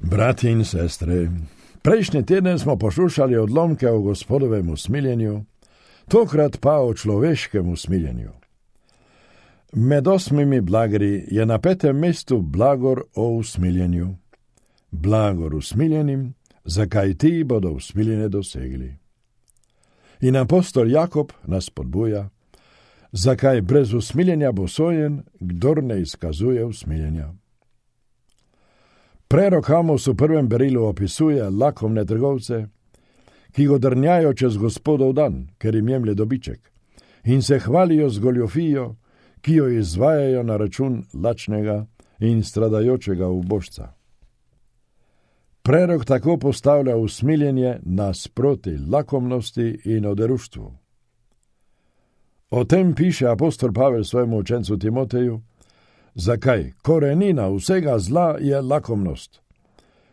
Brati in sestre, prejšnji teden smo poslušali odlomke o Gospodovem usmiljenju, tokrat pa o človeškem usmiljenju. Med 8 blagori je na 5. mestu blagor o usmiljenju. Blagor usmiljenim, zakaj ti bodo usmiljene dosegli. In apostol Jakob nas spodbuja, zakaj brez usmiljenja bo sojen, kdor ne izkazuje usmiljenja. Prerok Amos v 1. berilu opisuje lakomne trgovce, ki godrnjajo čez Gospodov dan, ker jim jemlje dobiček, in se hvalijo z goljofijo, ki jo izvajajo na račun lačnega in stradajočega ubožca. Prerok tako postavlja usmiljenje nasproti lakomnosti in oderuštvu. O tem piše apostol Pavel svojemu učencu Timoteju, zakaj korenina vsega zla je lakomnost.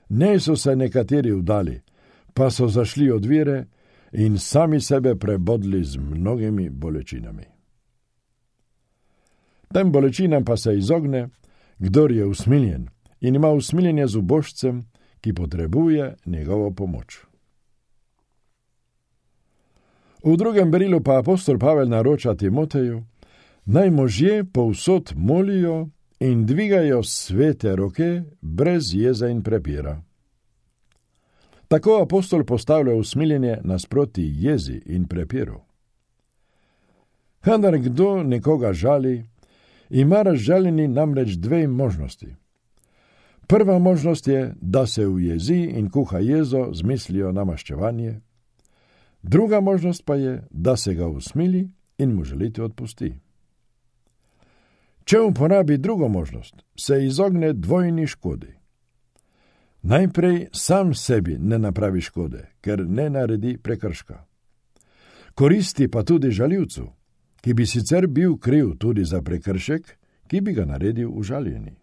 Ne so se nekateri vdali, pa so zašli od vere in sami sebe prebodli z mnogimi bolečinami. Tem bolečinam pa se izogne, kdor je usmiljen in ima usmiljenje z ubožcem, ki potrebuje njegovo pomoč. V 2. berilu pa apostol Pavel naroča Timoteju, naj možje povsod molijo in dvigajo svete roke brez jeze in prepira. Tako apostol postavlja usmiljenje nasproti jezi in prepiru. Kadar kdo nekoga žali, ima razžaljeni namreč 2 možnosti. Prva možnost je, da se ujezi in kuha jezo z mislijo na maščevanje. Druga možnost pa je, da se ga usmili in mu želiti odpusti. Če uporabi drugo možnost, se izogne dvojni škodi. Najprej sam sebi ne napravi škode, ker ne naredi prekrška. Koristi pa tudi žaljivcu, ki bi sicer bil kriv tudi za prekršek, ki bi ga naredil užaljeni.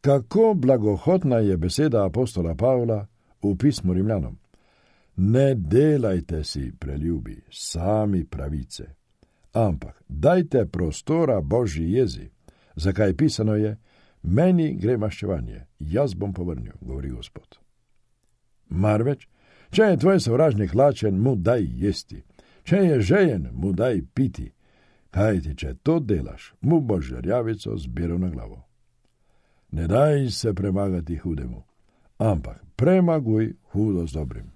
Kako blagohotna je beseda apostola Pavla v pismu Rimljanom. Ne delajte si, preljubi, sami pravice, ampak dajte prostora Božji jezi, zakaj pisano je, meni gre maščevanje, jaz bom povrnil, govori Gospod. Marveč, če je tvoj sovražnik lačen, mu daj jesti, če je žejen, mu daj piti, kajti če to delaš, mu boš žerjavico zbiral na glavo. Ne daj se premagati hudemu, ampak premaguj hudo z dobrim.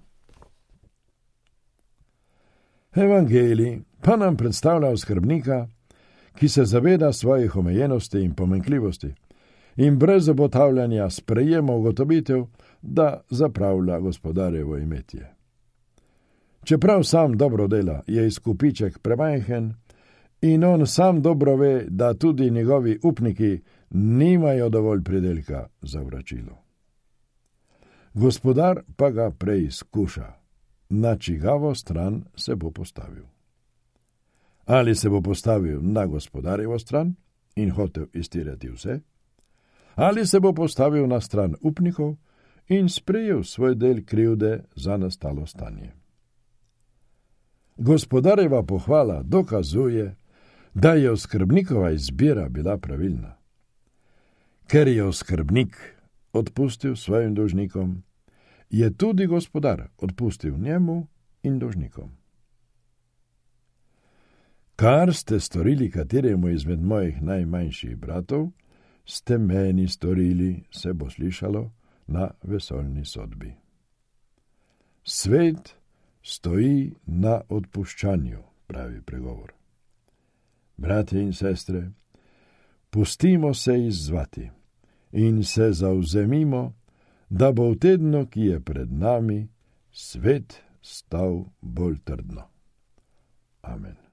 Evangelij pa nam predstavlja oskrbnika, ki se zaveda svojih omejenosti in pomanjkljivosti in brez obotavljanja sprejema ugotovitev, da zapravlja gospodarjevo imetje. Čeprav sam dobro dela, je izkupiček premajhen in on sam dobro ve, da tudi njegovi upniki nimajo dovolj pridelka za vračilo. Gospodar pa ga preizkuša, na čigavo stran se bo postavil. Ali se bo postavil na gospodarjevo stran in hotel iztirati vse, ali se bo postavil na stran upnikov in sprejel svoj del krivde za nastalo stanje. Gospodarjeva pohvala dokazuje, da je oskrbnikova izbira bila pravilna. Ker je oskrbnik odpustil svojim dolžnikom, je tudi gospodar odpustil njemu in dolžnikom. Kar ste storili kateremu izmed mojih najmanjših bratov, ste meni storili, se bo slišalo na vesoljni sodbi. Svet stoji na odpuščanju, pravi pregovor. Bratje in sestre, pustimo se izzvati in se zavzemimo, da bo v tednu, ki je pred nami, svet stal bolj trdno. Amen.